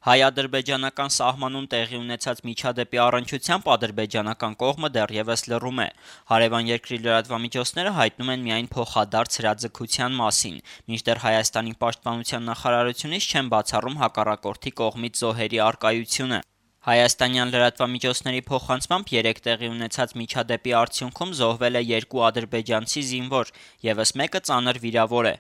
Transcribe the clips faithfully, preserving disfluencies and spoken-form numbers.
Հայ-ադրբեջանական սահմանում տեղի ունեցած միջադեպի առնչությամբ ադրբեջանական կողմը դեռևս լռում է։ Հարևան երկրի լրատվամիջոցները հայտնում են միայն փոխադարձ հրաձգության մասին, մինչդեռ Հայաստանի պաշտպանության նախարարությունից չեն բացառում հակառակորդի կողմից զոհերի առկայությունը։ Հայաստանյան լրատվամիջոցների փոխանցմամբ երեկ տեղի ունեցած միջադեպի արդյունքում զոհվել է երկու ադրբեջանցի զինվոր, ևս մեկը ծանր վիրավոր է։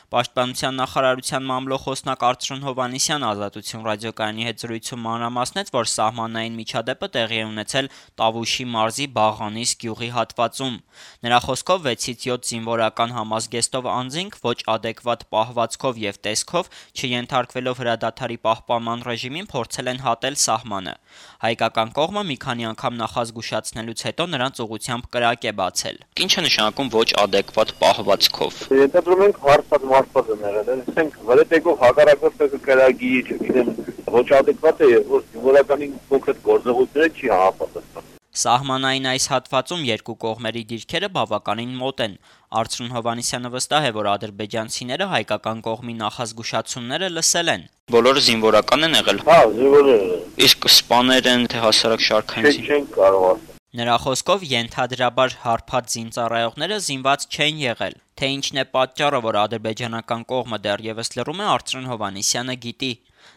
Պաշտպանության նախարարության մամլոխոսնակ Արծրուն Հովհաննիսյանը «Ազատություն» ռադիոկայանի հետ զրույցում մանրամասնեց, որ սահմանային միջադեպը տեղի է ունեցել Տավուշի մարզի Բաղանիս գյուղի հատվածում։ Նրա խոսքով վեցից յոթ զինվորական համազգեստով անձինք ոչ ադեկվատ պահվածքով եւ տեսքով, չենթարկվելով հրադադարի պահպանման ռեժիմին, փորձել են հատել սահմանը։ Հայկական կողմը մի քանի անգամ նախազգուշացնելուց հետո նրանց ուղղությամբ կրակ է բացել։ Ինչ է նշանակում ոչ ադեկվատ պահվածքով։ Ենթադրում ենք հարցած մարզված են եղել, ասենք վրետեկով հակառակորդը կրագի, չգիտեմ, ոչ ադեկվատ է, որ զինվորականին կոնկրետ գործողությունները չի համապատասխանում։ Սահմանային այս հատվածում երկու կողմերի դիրքերը բավականին մոտ են։ Արծրուն Հովհաննիսյանը վստահ է, որ ադրբեջանցիները հայկական կողմի նախազգուշացումները լսել են։ Բոլորը զինվորական են եղել։ Հա, զինվորներ։ Իսկ սպաներ են, թե հասարակ շարքային։ Չեն կարող ասել։ Նրա խոսքով ենթադրաբար հարբած զինծառայողները զինված չեն եղել։ Թե ինչն է պատճառը, որ ադրբեջանական կողմը դեռևս լռում է, Արծրուն Հովհաննիսյանը գիտի։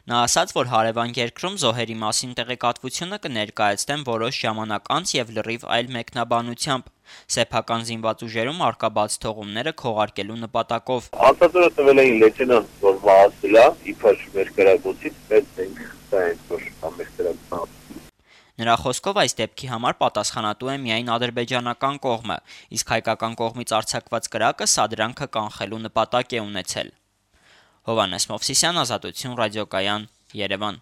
Նա ասաց, որ հարևան երկրում զոհերի մասին տեղեկատվությունը կներկայացնեն որոշ ժամանակ անց եւ լրիվ այլ մեկնաբանությամբ։ Սեփական զինված ուժերում առկա բաց թողումները քողարկելու նպատակով։ Հաստատորը տվել էին լեյտենանտ, որ մահացել է, իբր մեր կրակոցից, բայց մենք դա ենք, որ ամեն կրակոց։ Նրա խոսքով այս դեպքի համար պատասխանատու է միայն ադրբեջանական կողմը, իսկ հայկական կողմից արձակված կրակը սադրանքը կանխելու նպատակ է ունեցել։ Հովհաննես Մովսիսյան, Ազատություն ռադիոկայան, Երևան։